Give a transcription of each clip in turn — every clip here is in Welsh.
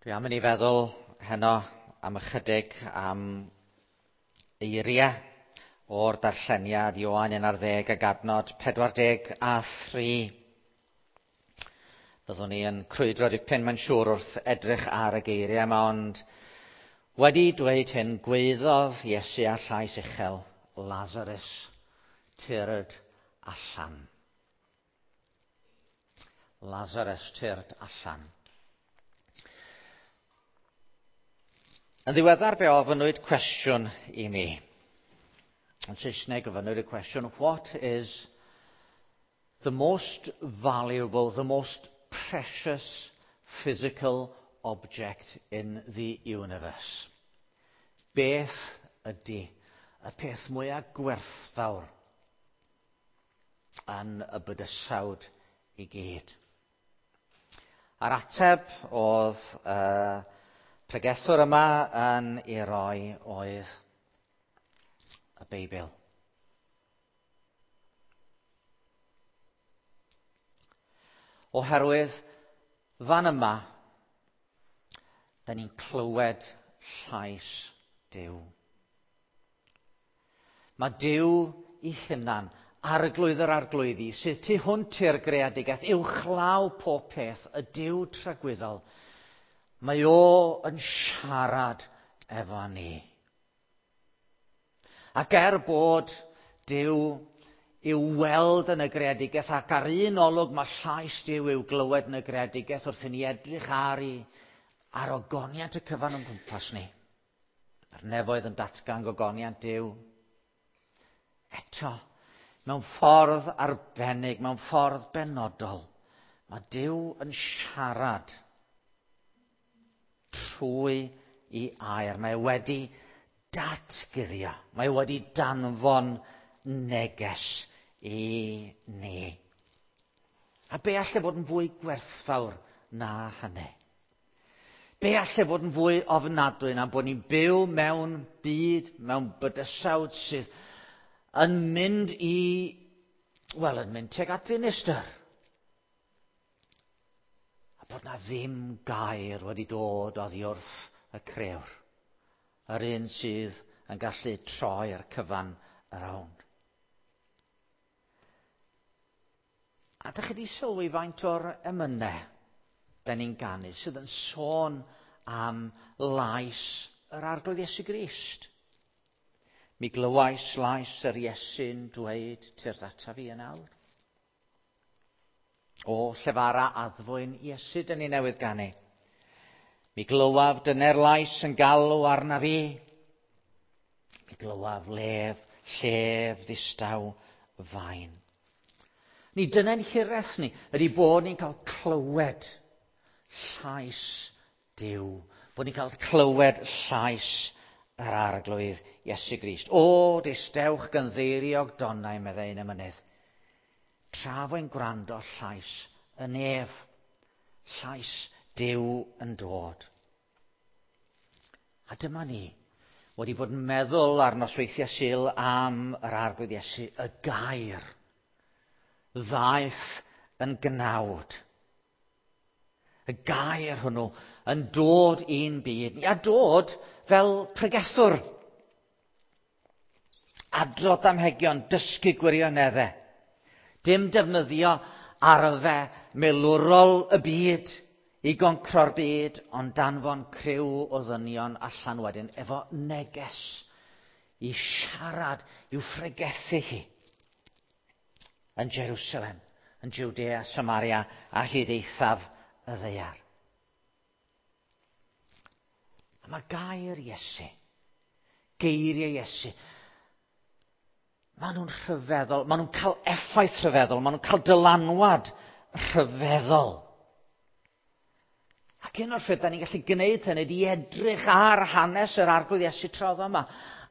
Dwi am i ni feddwl heno am ychydig am eiriau o'r darlleniad Ioan 11 ag adnod 43. Byddwn ni yn crwydro dipyn mae'n siŵr wrth edrych ar y geiriau yma, ond wedi dweud hyn, gweiddodd Iesu â llais uchel, Lazarus, tyrd allan. Lazarus, tyrd allan. Yn ddiweddar fe ofynnwyd cwestiwn i mi. Yn Saesneg ofynnwyd y cwestiwn, what is the most valuable, the most precious physical object in the universe? Beth ydy y peth mwyaf gwerthfawr yn y bydysawd i gyd? A'r ateb oedd pregethwr yma yn ei roi oedd y Beibl. Oherwydd fan yma, da ni'n clywed llais Duw. Mae Duw ei hunan, arglwydd yr arglwyddi, sydd tu hwnt i'r greadigaeth, uwchlaw pob peth, y Duw tragwyddol, mae o yn siarad efo ni. Ac er bod Duw i'w weld yn y greadigaeth, ac ar un olwg mae llais Duw i'w glywed yn y greadigaeth wrth i ni edrych ar i ar ogoniant y cyfan o'n gwmpas ni. Mae'r nefoedd yn datgan gogoniant Duw. Eto, mewn ffordd arbennig, mewn ffordd benodol, mae Duw yn siarad trwy i air. Mae wedi datguddio. Mae wedi danfon neges i ni. A be alle fod yn fwy gwerthfawr na hynny? Be alle fod yn fwy ofnadwy na bod ni'n byw mewn byd, mewn bydysawd sydd yn mynd i, wel, yn mynd tuag at ddinistr. A bod na ddim gair wedi dod oddi wrth y crëwr. Yr un sydd yn gallu troi'r cyfan rownd. A dych chi wedi sylwi faint o'r emynau da ni'n ganu sydd yn sôn am lais yr Arglwydd Iesu Grist. Mi glywais lais yr Iesu'n dweud, tyrd ata fi yn awr. O, llefara addfwyn Iesu, dyn ni newydd ganu. Mi glywaf dyner lais yn galw arna fi. Mi glywaf lef, llef ddistaw fain. Ni dyna'n hiraeth ni, ydy bod ni'n cael clywed llais Duw. Bod ni'n cael clywed llais yr Arglwydd Iesu Grist. O, distewch gynddeiriog donnau, meddai un emynydd. Tra fo'n gwrando llais y nef, llais Duw yn dod. A dyma ni, wedi bod yn meddwl ar nosweithiau Sul am yr Arglwydd Iesu, y gair ddaeth yn gnawd. Y gair hwnnw yn dod i'n byd, a dod fel pregethwr. Adrodd damhegion, dysgu gwirioneddau. Dim defnyddio arfe milwrol y byd i goncro'r byd, ond danfon criw o ddynion allan wedyn efo neges i siarad, i'w phregethu hi yn Jerusalem, yn Judea, Samaria a hyd eithaf y ddaear. A mae gair Iesu, geiriau Iesu, maen nhw'n rhyfeddol, maen nhw'n cael effaith rhyfeddol, maen nhw'n cael dylanwad rhyfeddol. Ac un o'r ffyrdd da ni'n gallu gwneud hynny ydy edrych ar hanes yr Arglwydd Iesu tra oedd yma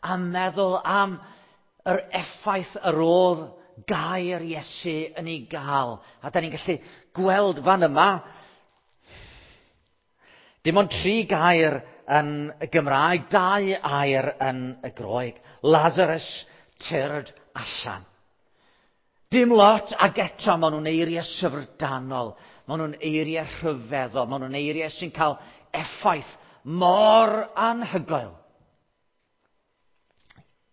a meddwl am yr effaith yr oedd gair Iesu yn ei gael. A da ni'n gallu gweld fan yma, dim ond 3 gair yn y Gymraeg, 2 air yn y Groeg. Lazarus, tyrd allan. Dim lot, ac eto maen nhw'n eiriau syfrdanol. Maen nhw'n eiriau rhyfeddol, maen nhw'n eiriau sy'n cael effaith mor anhygoel.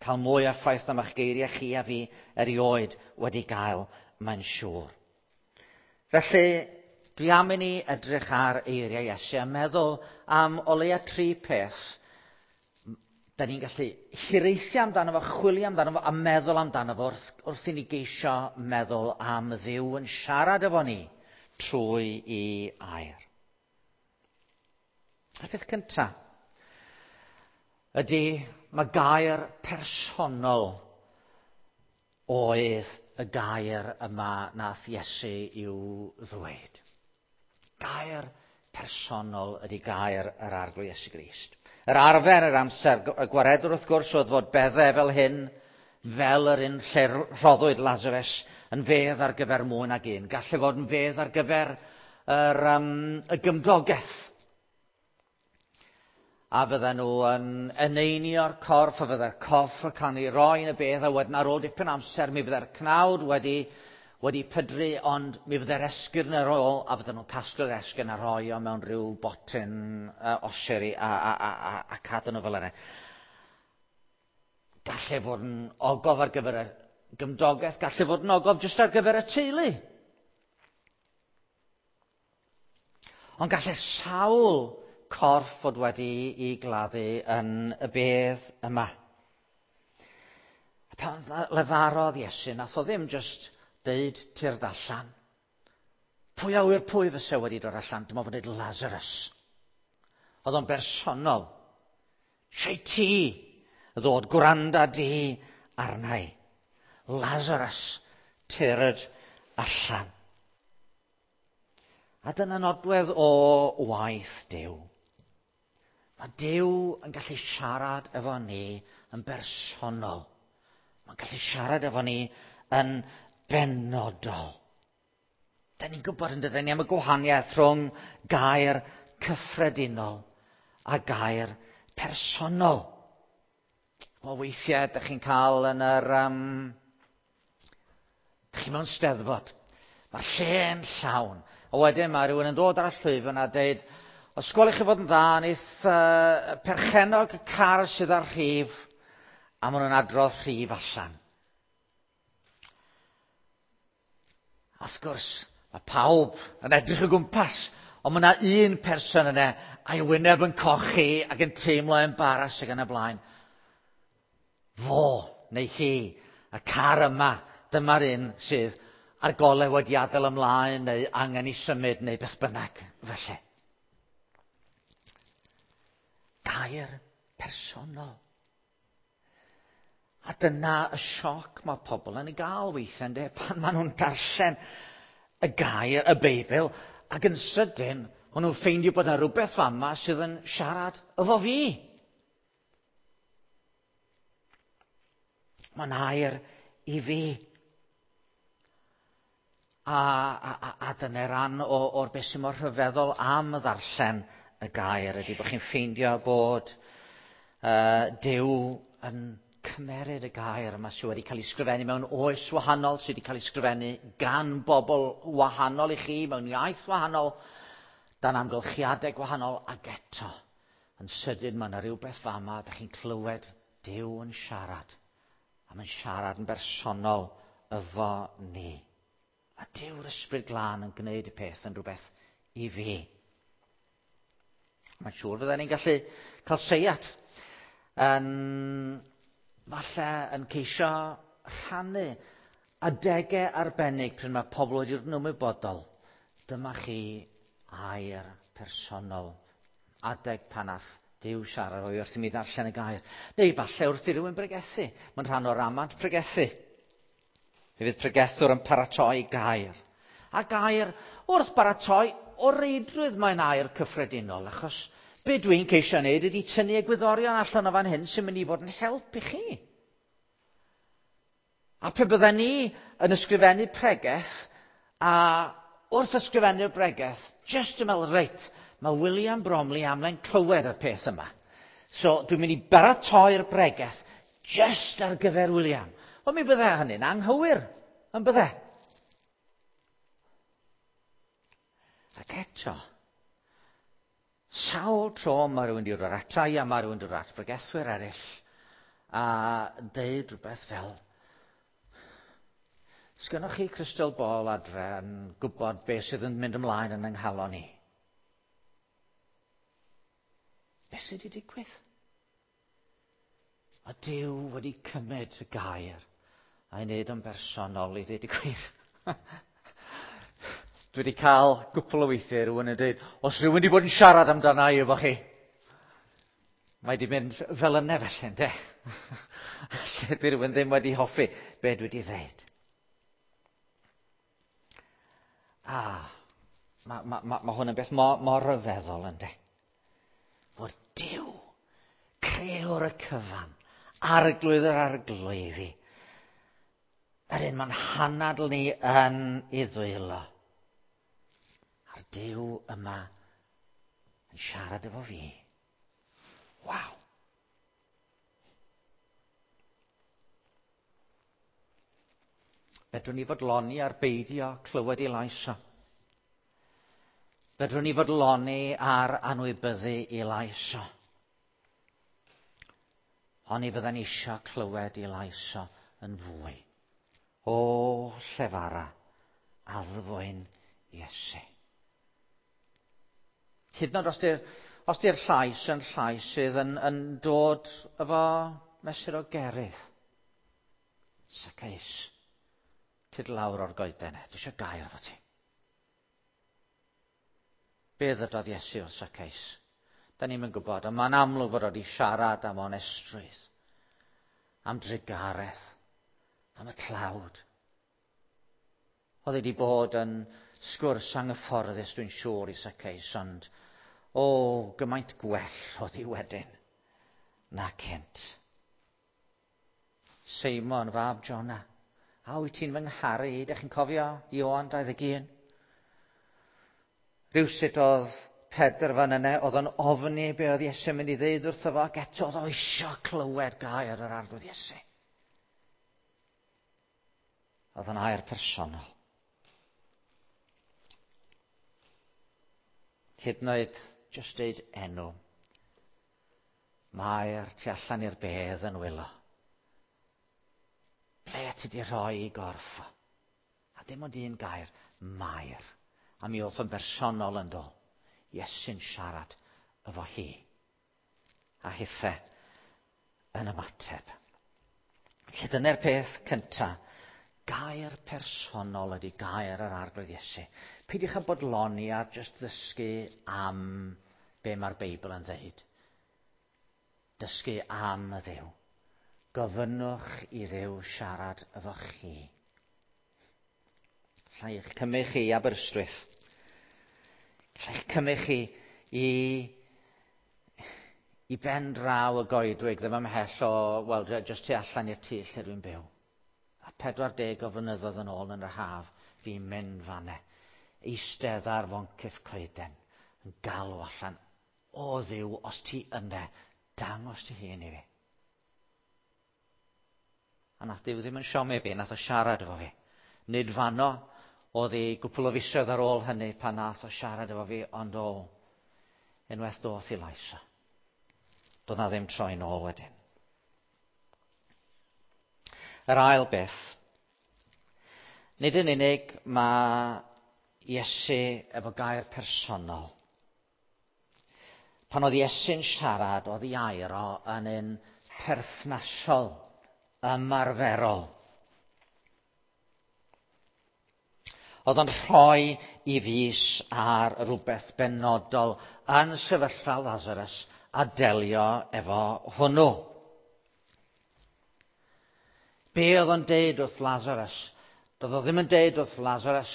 Cael mwy o effaith na ma'ch geiriau chi a fi erioed wedi gael, mae'n siŵr. Felly, dwi am i ni edrych ar eiriau Iesu a meddwl am o leia tri peth da ni'n gallu hiraethu amdano fo, chwilio amdano fo a meddwl amdano fo wrth, wrth i ni geisio meddwl am Dduw yn siarad efo ni trwy i air. A'r peth cyntaf ydy mae gair personol oedd y gair yma nath Iesu i'w ddweud. Gair personol ydy gair yr Arglwydd Iesu Grist. Yr arfer yr amser, y gwaredwr wrth gwrs oedd fod beddau fel hyn, fel yr un lle rhoddwyd Lazarus, yn fedd ar gyfer mwy nag un. Gallai fod yn fedd ar gyfer yr, um, y gymdogaeth. A fydden nhw yn eneinio'r corff, a fydde'r corff yn cael ei roi yn y bedd, a wedyn ar ôl dipyn amser mi fydde'r cnawd wedi, wedi pydru, ond mi fydde'r esgyrn ar ôl, a fydden nhw'n casglu'r esgyrn a rhoi o mewn rhyw botyn uh, oseri a, a, a, a, a cadw nhw fel yna. Gallai fod yn ogof ar gyfer y gymdogaeth, gallai fod yn ogof jyst ar gyfer y teulu. Ond gallai sawl corff fod wedi i gladdu yn y bedd yma. A pan lefarodd Iesu, nath o ddim jyst deud tyrd allan. Pwy a wyr pwy fysa wedi dod allan? Dyma fod dweud Lazarus. Oedd o'n bersonol. Siau ti ddod gwranda di arnau. Lazarus, tyrd allan. A dyna nodwedd o waith Duw. Mae Duw yn gallu siarad efo ni yn bersonol. Mae'n gallu siarad efo ni yn benodol. Da ni'n gwybod yn dydyn ni am y gwahaniaeth rhwng gair cyffredinol a gair personol. O weithiau, ydych chi'n cael yn yr... Um, chi mewn steddfod. Mae'r lle'n llawn. A wedyn mae rhywun yn dod ar y llwyfan a dweud, os gwelwch chi fod yn dda, wneith uh, perchennog y car sydd ar rhif, a maen nhw'n adrodd rhif allan. A wrth gwrs, mae pawb yn edrych o gwmpas, ond mae yna un person yna a'i wyneb yn cochi ac yn teimlo embaras ac yn y blaen. Fo neu hi, y car yma, dyma'r un sydd a'r golau wedi adael ymlaen neu angen i symud neu beth bynnag felly. Gair personol. A dyna y sioc mae pobl yn ei gael weithiau, ynddo, pan maen nhw'n darllen y gair, y Beibl, ac yn sydyn, maen nhw'n ffeindio bod yna rhywbeth fama sydd yn siarad efo fi. Mae'n air i fi. A, a, a, a dyna ran o, o'r beth sy'n mor rhyfeddol am ddarllen y gair ydy bod chi'n ffeindio bod uh, Duw yn cymeryd y gair yma sydd wedi cael ei sgrifennu mewn oes wahanol, sydd wedi cael ei sgrifennu gan bobl wahanol i chi, mewn iaith wahanol, dan amgylchiadau gwahanol, ac eto, yn sydyn mae yna rhywbeth fama, ydych chi'n clywed Duw yn siarad, a mae'n siarad yn bersonol efo ni. A Dyw'r Ysbryd Glân yn gwneud y peth yn rhywbeth i fi. Mae'n siŵr fydden ni'n gallu cael seiat yn falle yn ceisio rhannu adegau arbennig pryd mae pobl wedi dod yn ymwybodol. Dyma chi air personol. Adeg pan ath Duw siarad o'i wrth i mi ddarllen y gair. Neu falle wrth i rywun bregethu. Mae'n rhan o'r amant pregethu. Mi fydd pregethwr yn paratoi gair. A gair wrth baratoi o reidrwydd mae'n air cyffredinol, achos be dwi'n ceisio wneud ydy tynnu egwyddorion allan o fan hyn sy'n mynd i fod yn help i chi. A pe bydden ni yn ysgrifennu pregeth, a wrth ysgrifennu'r bregeth, jyst yn meddwl, reit, mae William Bromley amlen clywed y peth yma. So dwi'n mynd i baratoi'r bregeth jyst ar gyfer William. Wel, mi bydde hynny'n anghywir, yn bydde? Ac eto, sawl tro mae rhywun wedi dod ata i a mae rhywun wedi dod at bregethwyr eraill a deud rhywbeth fel, Sgynnoch chi crystal ball adre yn gwybod beth sydd yn mynd ymlaen yn yng nghalon i? Beth sydd wedi digwydd? A Duw wedi cymryd y gair a'i wneud yn bersonol i ddweud y gwir. Dwi wedi cael gwpl o weithiau rhywun yn dweud, os rhywun wedi bod yn siarad amdana i efo chi, mae wedi mynd fel yna felly, ynde? Lle di rhywun ddim wedi hoffi be dwi wedi dweud. A, mae ma, ma, ma hwn yn beth mor, mor ryfeddol, ynde? Fod Duw, crewr y cyfan, arglwydd yr arglwyddi, yr un mae'n hanadl ni yn ei ddwylo. A'r Duw yma yn siarad efo fi. Waw! Fedrwn ni fodloni ar beidio clywed ei lais o. Fedrwn ni fodloni ar anwybyddu ei lais o. Ond ni fydden eisiau clywed ei lais o yn fwy. O, llefara, addfwyn Iesu. Hyd yn oed os di'r os di'r llais yn llais sydd yn, yn dod efo mesur o gerydd. Zacchaeus, tyd lawr o'r goeden e, dwi eisiau gair efo ti. Be ddydodd Iesu wrth Zacchaeus? Da ni'n gwybod, ond mae'n amlwg fod wedi siarad am onestrwydd, am drugaredd, am y tlawd. Oedd wedi bod yn sgwrs anghyfforddus, dwi'n siŵr, i Zacchaeus, ond o, gymaint gwell oedd hi wedyn na cynt. Seimon, fab Jonah, a wyt ti'n fy ngharu i? Dych chi'n cofio Ioan 21? Rhywsut oedd Pedr fan yna, oedd o'n ofni be oedd Iesu'n mynd i ddeud wrtho fo, ac eto oedd o eisiau clywed gair yr arglwydd Iesu. Oedd o'n air personol. Hyd yn oed jyst deud enw. Mae'r tu allan i'r bedd yn wylo. Ble ti di rhoi i gorff o? A dim ond un gair, Mair. A mi oedd yn bersonol yn do. Iesu'n siarad efo hi. A hithe yn ymateb. Felly dyna'r peth cynta. Gair personol ydy gair yr Arglwydd Iesu. Peidiwch â bodloni ar jyst ddysgu am be mae'r Beibl yn dweud. Dysgu am y Dduw. Gofynnwch i Dduw siarad efo chi. Alla i'ch cymryd chi i Aberystwyth. Alla i'ch cymryd chi i, i ben draw y goedwig, ddim ymhell o, wel, jyst tu allan i'r tŷ lle dwi'n byw. A 40 o flynyddoedd yn ôl yn yr haf, fi'n mynd fanne. Eistedd ar foncyff coeden, yn galw allan, o Dduw, os ti yna, dangos ti hun i fi. A nath Duw ddim yn siomi fi, nath o siarad efo fi. Nid fanno, oedd hi gwpl o fisoedd ar ôl hynny pan nath o siarad efo fi, ond o, unwaith doth i lais o. Doedd na ddim troi nôl wedyn. Yr ail beth, nid yn unig mae Iesu efo gair personol. Pan oedd Iesu'n siarad, oedd ei air o yn un perthnasol, ymarferol. Oedd o'n rhoi i fus ar rhywbeth benodol yn sefyllfa Lazarus a delio efo hwnnw. Be oedd o'n deud wrth Lazarus? Doedd o ddim yn deud wrth Lazarus,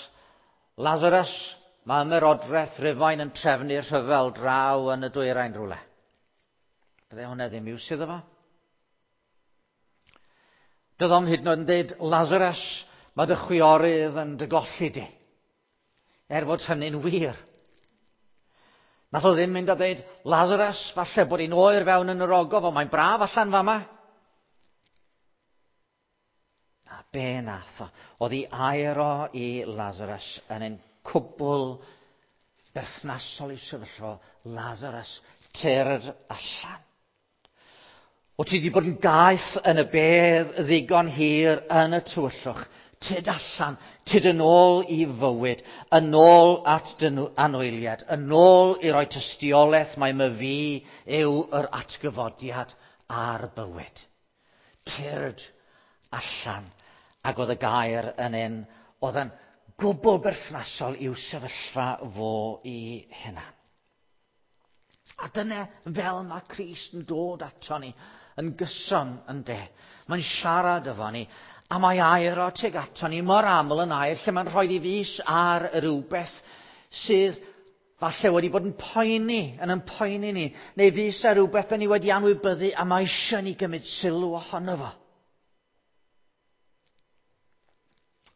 Lazarus, mae ymerodraeth Rufain yn trefnu rhyfel draw yn y dwyrain rhywle. Bydde hwnna ddim iws iddo fo. Doedd o'm hyd yn oed yn deud, Lazarus, mae dy chwiorydd yn dy golli di. Er fod hynny'n wir. Nath o ddim mynd a dweud, Lazarus, falle bod hi'n oer fewn yn yr ogof, ond mae'n braf allan fama. A be nath o? Oedd ei air o i Lazarus yn un cwbl Berthnasol i sefyllfa Lazarus, tyrd allan. O ti wedi bod yn gaeth yn y bedd ddigon hir yn y tywyllwch. Tyd allan, tyd yn ôl i fywyd, yn ôl at dy anwyliad, yn ôl i roi tystiolaeth mai my fi yw yr atgyfodiad a'r bywyd. Tyrd allan. Ac oedd y gair yn un oedd yn gwbl berthnasol i'w sefyllfa fo i hunan. A dyna fel mae Crist yn dod ato ni yn gyson yn de. Mae'n siarad efo ni, a mae air o tuag ato ni mor aml yn air lle mae'n rhoi i fus ar rhywbeth sydd falle wedi bod yn poeni, yn yn poeni ni, neu fus ar rhywbeth da ni wedi anwybyddu a mae eisiau ni gymryd sylw ohono fo.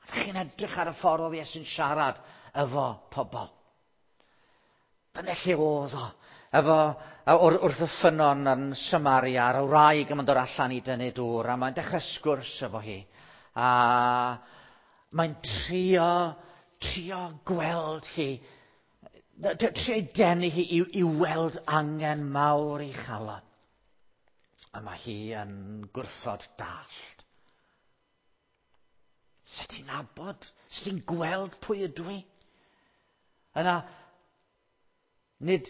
Ydych chi'n edrych ar y ffordd oedd Iesu'n siarad efo pobl. Dyna lle oedd o. Efo, wrth y ffynnon yn Samaria, a'r wraig yn dod allan i dynnu dŵr, a mae'n dechrau sgwrs efo hi. A mae'n trio, trio gweld hi, trio ei denu hi i, i weld angen mawr i chalon. A mae hi yn gwrthod dallt. Sut ti'n nabod? Sut ti'n gweld pwy ydw i? Yna, nid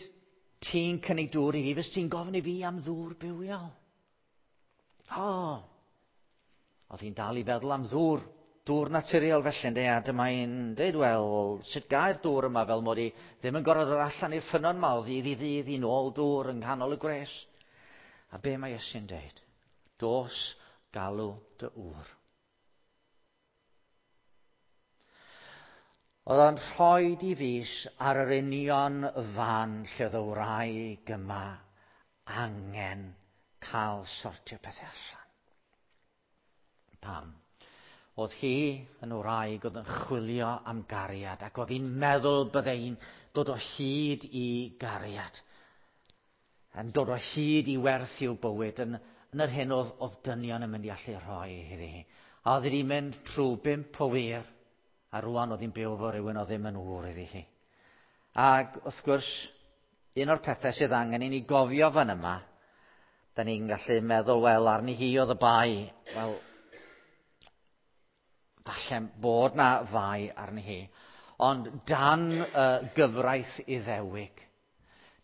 ti'n cynnig dŵr i fi, fes ti'n gofyn i fi am ddŵr bywiol. O, oedd hi'n dal i feddwl am ddŵr, dŵr naturiol felly, ynddi, a dyma hi'n dweud, wel, sut gair dŵr yma fel mod i ddim yn gorfod dod allan i'r ffynnon yma o ddydd i ddydd i nôl dŵr yng nghanol y gwres. A be mae Iesu'n dweud? Dos galw dy ŵr. Oedd o'n rhoi i fus ar yr union fan lle oedd y wraig yma angen cael sortio pethau allan. Pam? Oedd hi yn wraig oedd yn chwilio am gariad ac oedd hi'n meddwl bydde hi'n dod o hyd i gariad. Yn dod o hyd i werth i'w bywyd yn, yn yr hyn oedd, oedd dynion yn mynd i allu rhoi iddi hi. A oedd wedi mynd trwy bimp o wir, a rwan oedd hi'n byw efo rhywun oedd ddim yn ŵr iddi hi. Ac wrth gwrs, un o'r pethau sydd angen i ni gofio fan yma, da ni'n gallu meddwl, wel, arni hi oedd y bai. Wel, falle bod na fai arni hi. Ond dan uh, gyfraith Iddewig,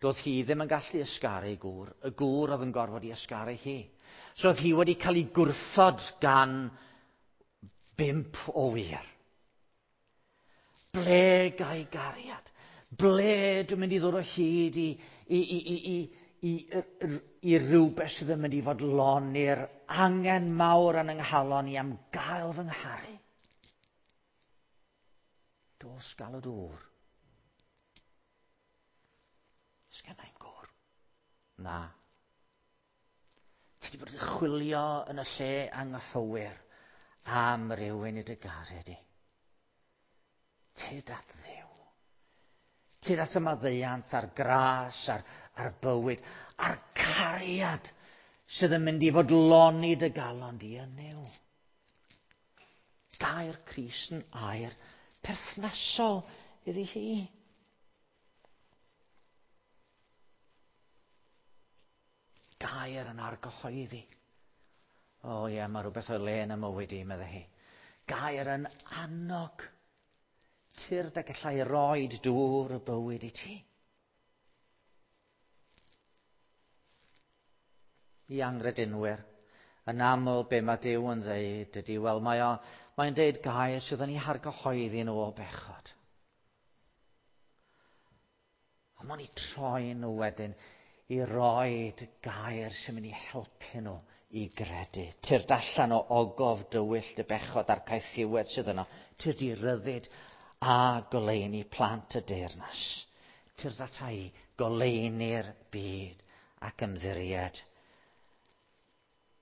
doedd hi ddim yn gallu ysgaru gŵr. Y gŵr oedd yn gorfod i ysgaru hi. So oedd hi wedi cael ei gwrthod gan bimp o wir. Ble gai gariad? Ble dwi'n mynd i ddod o hyd i, i, i, i, i, i, i, i rhywbeth sydd yn mynd i fodloni'r angen mawr yn yng nghalon i am gael fy ngharu? Dos gael y dŵr. Sgennai'm gŵr. Na. Ti wedi bod yn chwilio yn y lle anghywir am rywun i dy garu di. Tyd at Dduw. Tyd at y maddeuant a'r gras a'r, a'r bywyd a'r cariad sydd yn mynd i fodloni dy galon di yn Nuw. Gair Crist yn air perthnasol iddi hi. Gair yn argyhoeddi. O ie, mae rhywbeth o'i le yn y mywyd i, meddai hi. Gair yn annog. Tyrd a gallai roed dŵr y bywyd i ti. I angredinwyr, yn aml be mae Duw yn ddeud ydy, wel mae o, mae'n deud gair sydd yn ei hargyhoeddi nhw o bechod. Ond mae'n eu troi nhw wedyn i roed gair sy'n mynd i helpu nhw i gredu. Tyrd allan o ogof dywyll dy bechod a'r caethiwed sydd yno. Tyrd i ryddid a goleuni plant y deyrnas. Tyrd ata i goleuni'r byd ac ymddiried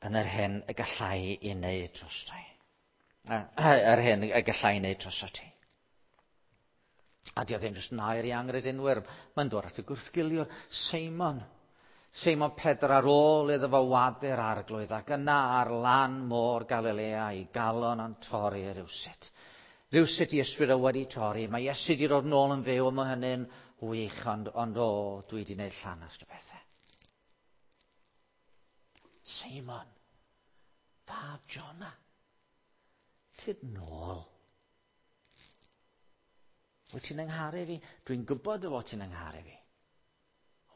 yn yr hyn y gallai i wneud drostai. Yr hyn y gallai i wneud drosot ti. A di o ddim jyst yn air i angredinwyr. Mae'n dod at y gwrthgiliwr, Seimon. Seimon Pedr ar ôl iddo fo wadu'r arglwydd ac yna ar lan môr Galilea i galon yn torri rhywsut. Rhywsut i ysbryd o wedi torri. Mae Iesu wedi dod nôl yn fyw a mae hynny'n Wych, ond, ond o, dwi wedi gwneud llanast o bethau. Seimon, fab Jonah, tyd nôl. Wyt ti'n yngharu fi? Dwi'n gwybod dy fod ti'n yngharu fi.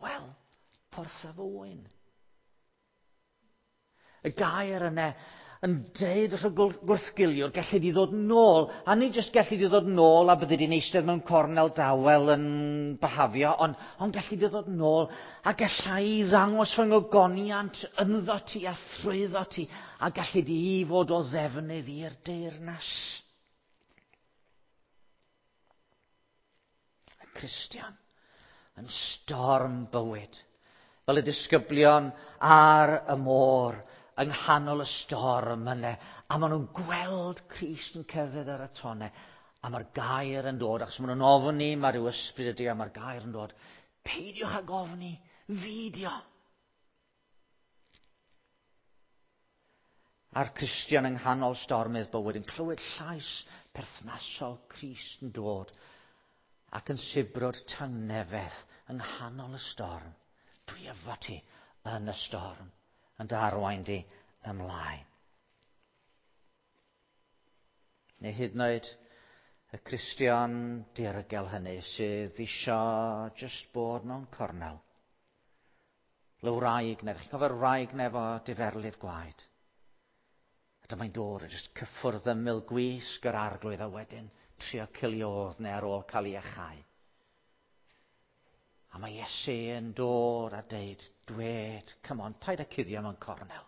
Wel, portha fy wyn. Y gair yna yn deud wrth y gwrthgiliwr, gallu di ddod nôl, a nid jyst gallu di ddod nôl a bydde di'n eistedd mewn cornel dawel yn byhafio, ond, ond gallu di ddod nôl a gallai i ddangos fy ngogoniant ynddo ti a thrwyddo ti, a gallu di fod o ddefnydd i'r deyrnas. Y Cristion yn storm bywyd, fel y disgyblion ar y môr, yng nghanol y storm yna, a maen nhw'n gweld Crist yn cerdded ar y tonau, a mae'r gair yn dod, achos maen nhw'n ofni, mae rhyw ysbryd ydy, a mae'r gair yn dod, peidiwch ag ofni, fideo. A'r Cristion yng nghanol stormydd bywyd yn clywed llais perthnasol Crist yn dod ac yn sibrwd tangnefedd yng nghanol y storm. Dwi efo ti yn y storm, yn dy arwain di ymlaen. Neu hyd yn oed y Cristion dirgel hynny sydd isio jyst bod mewn cornel. Le wraig nef, chi'n cofio'r wraig nef o diferlif gwaed? A dyma'n dod a jyst cyffwrdd ymyl gwisg yr arglwydd a wedyn trio ciliodd neu ar ôl cael ei achau. A mae Iesu yn dod a deud, dwed, come on, paid â cuddio mewn cornel.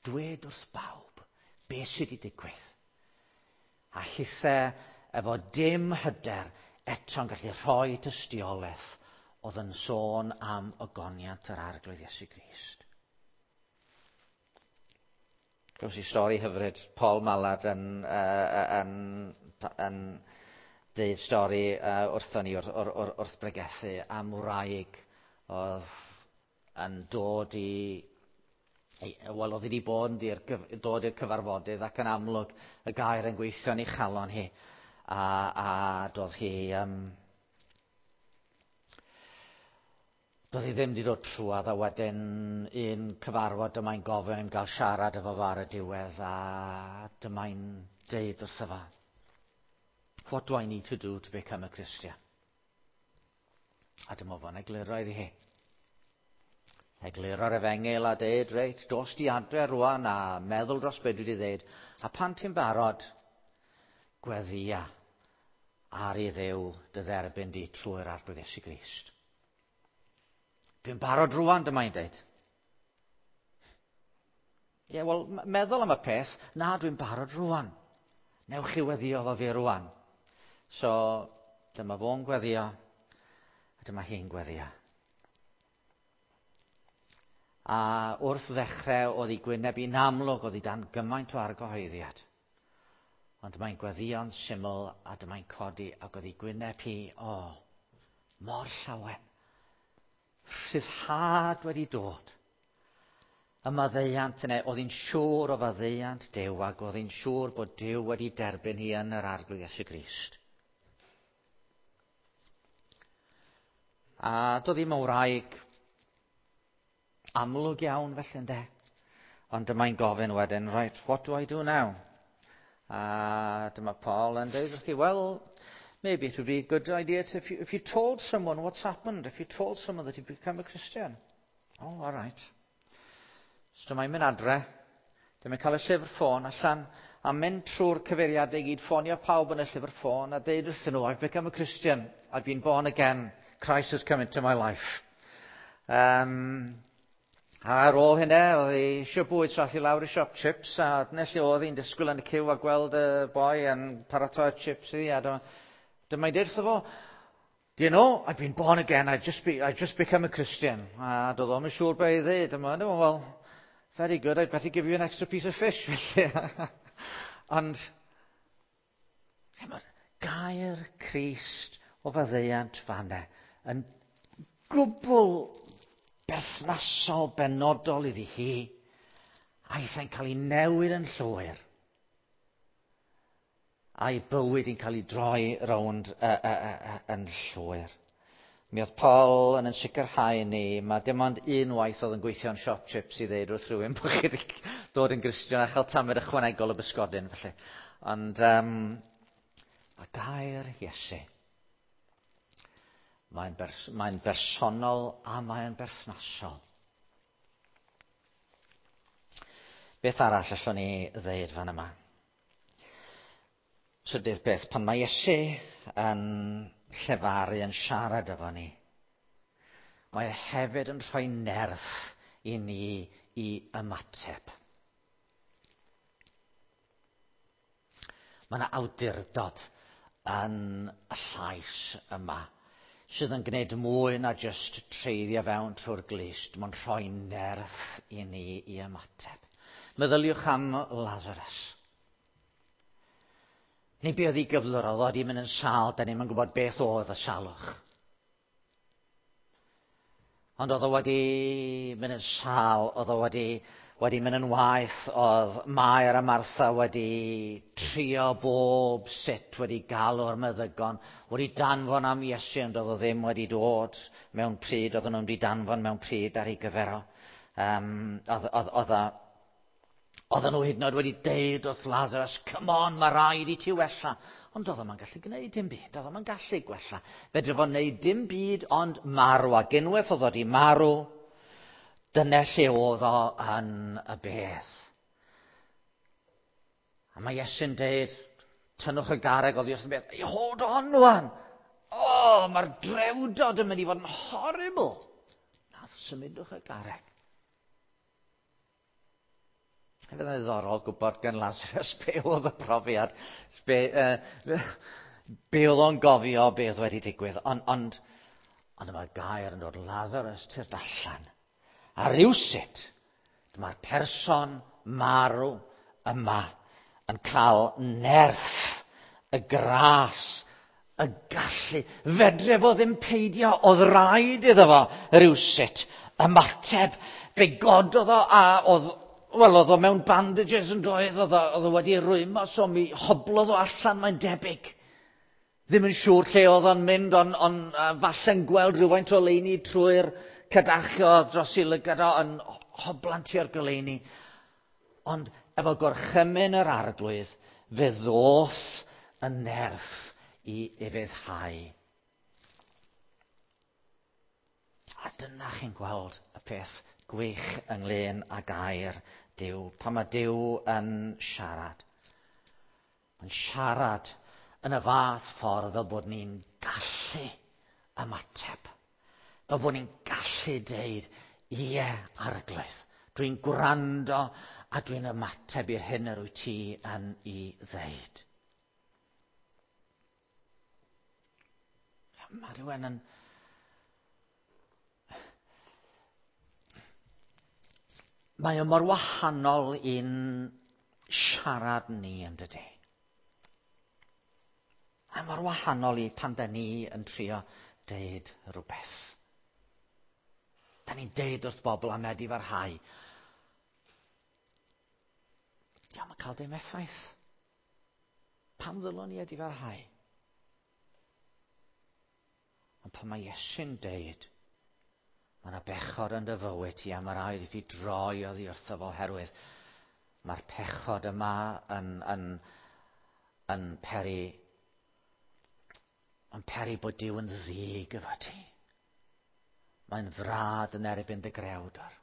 Dwed wrth bawb beth sydd wedi digwydd. A hithe efo dim hyder eto'n gallu rhoi tystiolaeth oedd yn sôn am ogoniant yr Arglwydd Iesu Grist. Glywes i stori hyfryd, Paul Mallard yn, uh, yn, yn deud stori uh, wrthon ni wrth, wrth, wrth bregethu am wraig oedd yn dod i wel, oedd wedi bod yn dir, dod i'r cyfarfodydd ac yn amlwg y gair yn gweithio yn ei chalon hi. A, a doedd hi... Um, Doedd hi ddim wedi dod trwadd a wedyn un cyfarfod dyma'n gofyn im gael siarad efo fo ar y diwedd a dyma'n deud wrtho fo, What do I need to do to become a Christian? A dyma fo'n egluro iddi hi. Egluro'r efengyl a deud, reit, dos di adre rwan a meddwl dros beth dwi wedi ddeud. A pan ti'n barod, gweddia ar i Dduw dy dderbyn di trwy'r Arglwydd Iesu Grist. Dwi'n barod rwan, dyma i'n deud. Ie, yeah, wel, meddwl am y peth, na, dwi'n barod rwan. Newch chi weddio fo fi rwan. So, dyma fo'n gweddio, a dyma hi'n gweddio. A wrth ddechrau, oedd ei gwyneb i'n amlwg, oedd hi dan gymaint o argyhoeddiad. Ond mae'n gweddio'n syml, a dyma'n codi, ac oedd ei gwyneb hi, o, oh, mor llawen. Rhyddhad wedi dod. Y maddeuant yna, oedd hi'n siŵr o faddeuant Duw ac oedd hi'n siŵr bod Duw wedi derbyn hi yn yr Arglwydd Iesu Grist. A doedd ddim yn wraig amlwg iawn felly ynde. Ond dyma'n gofyn wedyn, right, what do I do now? A dyma Paul yn dweud wrthi, well, maybe it would be a good idea to, if, you, if you told someone what's happened, if you told someone that you've become a Christian. Oh, all right. So dyma'n mynd adre, dyma'n cael y llyfr ffôn allan, a mynd trwy'r cyfeiriadau i gyd, ffonio pawb yn y llyfr ffôn, a deud wrthyn nhw, I've become a Christian, I've been born again, Christ has come into my life. Um, a ar ôl hynny, oedd hi eisiau bwyd, so ath hi lawr i siop chips, a dyna lle oedd hi'n disgwyl yn y cyw a gweld y boi yn paratoi chips iddi, a dyma, dyma i wrtho fo, Do you know, I've been born again, I've just, be, I've just become a Christian. A doedd o'm yn siŵr be i ddweud. Dyma, no, well, very good, I'd better give you an extra piece of fish, felly. Ond, mae'r gair Crist o faddeuant fanne yn gwbl berthnasol benodol iddi hi, a eithau'n cael ei newid yn llwyr. A'i bywyd yn cael ei droi rownd uh, uh, uh, yn llwyr. Mi oedd Paul yn sicrhau ni, mae dim ond un waith oedd yn gweithio yn siop chips i ddeud wrth rhywun bod chi wedi dod yn Gristion a chael tamed ychwanegol o bysgodyn, felly. Ond a gair Iesu, mae'n mae bersonol a mae'n berthnasol. Beth arall allwn ni ddeud fan yma? Trydydd beth, pan mae Iesu yn llefaru, yn siarad efo ni, mae e hefyd yn rhoi nerth i ni i ymateb. Mae yna awdurdod yn y llais yma sydd yn gwneud mwy na jyst treiddio fewn trwy'r glust. Mae'n rhoi nerth i ni i ymateb. Meddyliwch am Lazarus. Neu be oedd ei gyflwr, oedd o wedi mynd yn sâl, da ni'm yn gwybod beth oedd y salwch. Ond oedd o wedi mynd yn sâl, oedd o wedi, wedi mynd yn waeth, oedd Mair a Martha wedi trio bob sut, wedi galw'r meddygon, wedi danfon am Iesu, ond oedd o ddim wedi dod mewn pryd, oedden nhw'n wedi danfon mewn pryd ar ei gyfer o. Oedd, oedd, oedd, Oedden nhw hyd yn oed wedi deud wrth Lazarus, come on, mae rhaid i ti wella. Ond oedd o'm yn gallu gwneud dim byd, oedd o'm yn gallu gwella. Fedre fo wneud dim byd ond marw, ac unwaith oedd o wedi marw, dyna lle oedd o yn y bedd. A mae Iesu'n deud, tynnwch y garreg oddi wrth y bedd. Hey, hold on, wan! O, oh, mae'r drewdod yn mynd i fod yn horrible. Na, symudwch y garreg. Hefyd yn ddiddorol gwybod gan Lazarus be oedd y profiad, be oedd o'n gofio, be oedd wedi digwydd. Ond, ond, ond mae'r gair yn dod, Lazarus, tyrd allan. A rywsut, dyma'r person marw yma yn cael nerth, y gras, y gallu. Fedre fo ddim peidio, oedd rhaid iddo fo rywsut ymateb. Fe gododd o a oedd, wel, oedd o mewn bandages yn doedd, oedd o, oedd o wedi rwymo, so mi hoblodd o allan, mae'n debyg. Ddim yn siŵr lle oedd o'n mynd, ond on, falle'n gweld rhywfaint o leini trwy'r cadachio dros ei lygad o, yn hoblan tua'r goleuni. Ond efo gorchymyn yr arglwydd, fe ddoth y nerth i ufuddhau. A dyna chi'n gweld y peth gwych ynglyn â gair Duw. Pan mae Duw yn siarad. Mae'n siarad yn y fath ffordd fel bod ni'n gallu ymateb. Fel bod ni'n gallu deud, ie, arglwydd, dwi'n gwrando a dwi'n ymateb i'r hyn yr wyt ti yn ei ddeud. Mae rhywun yn... Mae o mor wahanol i'n siarad ni, yn dydy? A mor wahanol i pan da ni yn trio deud rhywbeth. Da ni'n deud wrth bobl am edifarhau. Diolch yn cael dim effaith. Pam ddylwn i edifarhau? Ond pan mae Iesu'n deud, mae yna bechod yn dy fywyd ti a mae rhaid i ti droi oddi wrtho fo oherwydd mae'r pechod yma yn, yn, yn peri yn peri bod Duw yn ddig efo ti. Mae'n frad yn erbyn dy grewdor.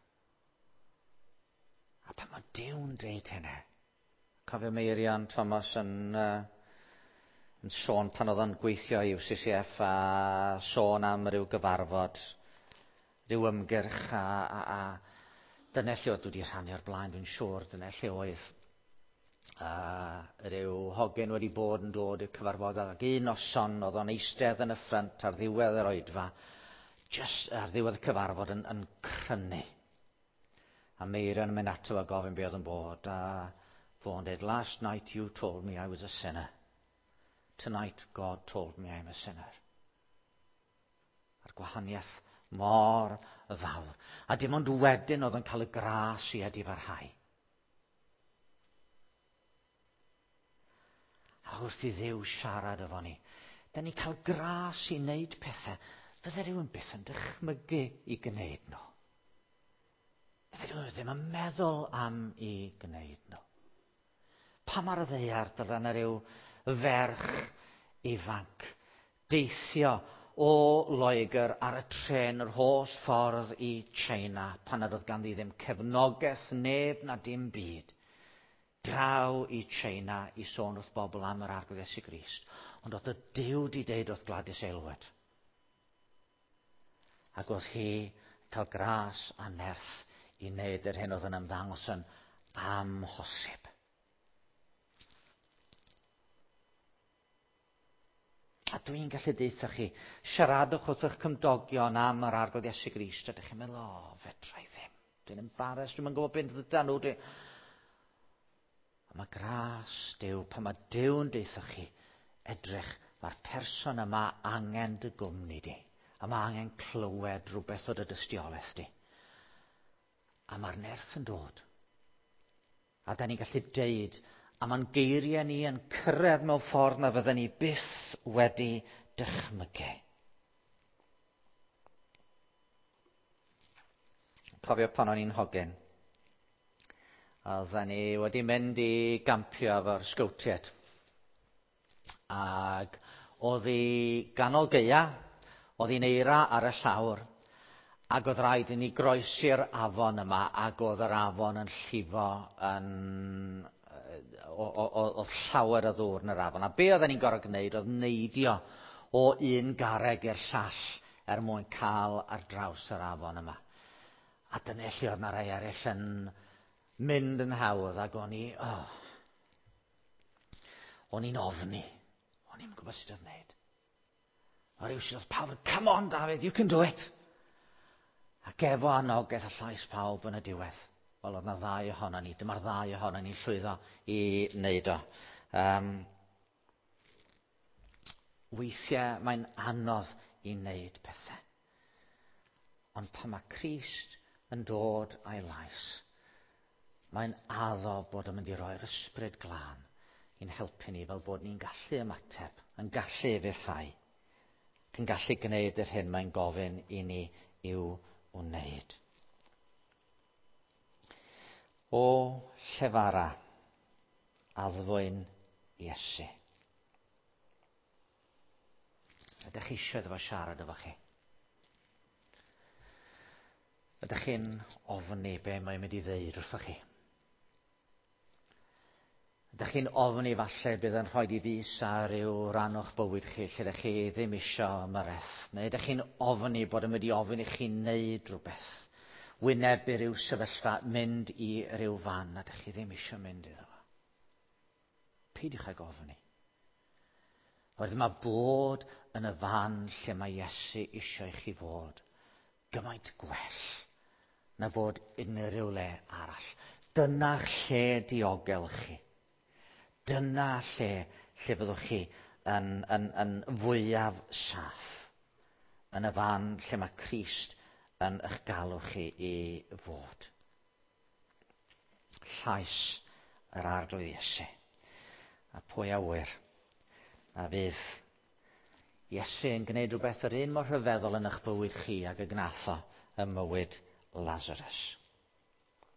A pan mae Duw'n deud hynny, cofio Meirion Thomas yn, yn sôn pan oedd o'n gweithio i UCCF a sôn am ryw gyfarfod, ryw ymgyrch a, a, a dyna lle oedd dwi wedi rhannu o'r blaen, dwi'n siŵr, dyna lle oedd a ryw hogyn wedi bod yn dod i'r cyfarfod ac un noson oedd o'n eistedd yn y ffrynt ar ddiwedd yr oedfa, just ar ddiwedd y cyfarfod yn, yn crynu. A Meirion yn mynd ato a gofyn be oedd yn bod, a fo'n dweud, last night you told me I was a sinner. Tonight God told me I'm a sinner. A'r gwahaniaeth mor fawr. A dim ond wedyn oedd yn cael y gras i edifarhau. A wrth i Dduw siarad efo ni, da ni cael gras i wneud pethau. Fydde rhywun byth yn dychmygu i gwneud nhw. Fydde rhywun ddim yn meddwl am i gwneud nhw. Pam ar y ddaear dyla 'na ryw ferch ifanc deithio o Loegr ar y trên yr holl ffordd i China pan nad oedd ganddi ddim cefnogaeth neb na dim byd draw i China i sôn wrth bobl am yr Arglwydd Iesu Grist. Ond oedd y Duw di deud wrth Gladys Aylward. Ac oedd hi cael gras a nerth i wneud yr hyn oedd yn ymddangos yn amhosib. A dwi'n gallu deutha chi, siaradwch wrth eich cymdogion am yr Arglwydd Iesu Grist, a dych chi'n meddwl, o, fedra i ddim. Dwi'n embarrassed, dwi'm yn gwybod beth ddyda nhw. Dwi... A mae gras Duw, pan mae Duw'n deutha chi, edrych, mae'r person yma angen dy gwmni di. A mae angen clywed rhywbeth o dy dystiolaeth di. A mae'r nerth yn dod. A da ni'n gallu deud, a mae'n geiriau ni yn cyrraedd mewn ffordd na fydden ni byth wedi dychmygu. Cofio pan o'n i'n hogyn. A oedden ni wedi mynd i gampio efo'r sgowtiaid. Ac oedd hi ganol gaea, oedd hi'n eira ar y llawr, ac oedd rhaid i ni groesi'r afon yma, ac oedd yr afon yn llifo yn... Oedd llawer o ddŵr yn yr afon. A be oedden ni'n gorfod gwneud oedd neidio o un garreg i'r llall er mwyn cael ar draws yr afon yma. A dyna lle oedd 'na rai eraill yn mynd yn hawdd, ac o'n i, oh, o'n i'n ofni. O'n i'n gwybod sut oedd wneud. A rhywsut oedd pawb, come on David, you can do it. Ac efo anogaeth a llais pawb yn y diwedd. Wel, oedd na ddau ohono ni. Dyma'r ddau ohono ni'n llwyddo i wneud o. Weithiau mae'n anodd i wneud pethau. Ond pan mae Crist yn dod a'i lais, mae'n addo bod yn mynd i roi'r ysbryd glân i'n helpu ni fel bod ni'n gallu ymateb, yn gallu ufuddhau, ac yn gallu gwneud yr hyn mae'n gofyn i ni i'w wneud. O llefara, addfwyn Iesu. Ydych chi eisiau iddo fo siarad efo chi? Ydych chi'n ofni be mae'n mynd i ddeud wrthoch chi? Ydych chi'n ofni falle bydd yn rhoi i fus ar ryw ran o'ch bywyd chi lle ydych chi ddim isio ymyrraeth? Neu ydych chi'n ofni bod yn mynd i ofyn i chi wneud rhywbeth? Wynebu rhyw sefyllfa, mynd i ryw fan a ydych chi ddim eisiau mynd iddo fo? Peidiwch ag ofni. Oherwydd mae bod yn y fan lle mae Iesu eisiau i chi fod gymaint gwell na fod unrhyw le arall. Dyna lle diogel chi. Dyna lle lle fyddwch chi yn fwyaf saff. Yn y fan lle mae Crist yn eich galw chi i fod. Llais yr Arglwydd Iesu. A pwy a ŵyr a fydd Iesu yn gwneud rhywbeth yr un mor rhyfeddol yn eich bywyd chi ag y gnath o ym mywyd Lazarus.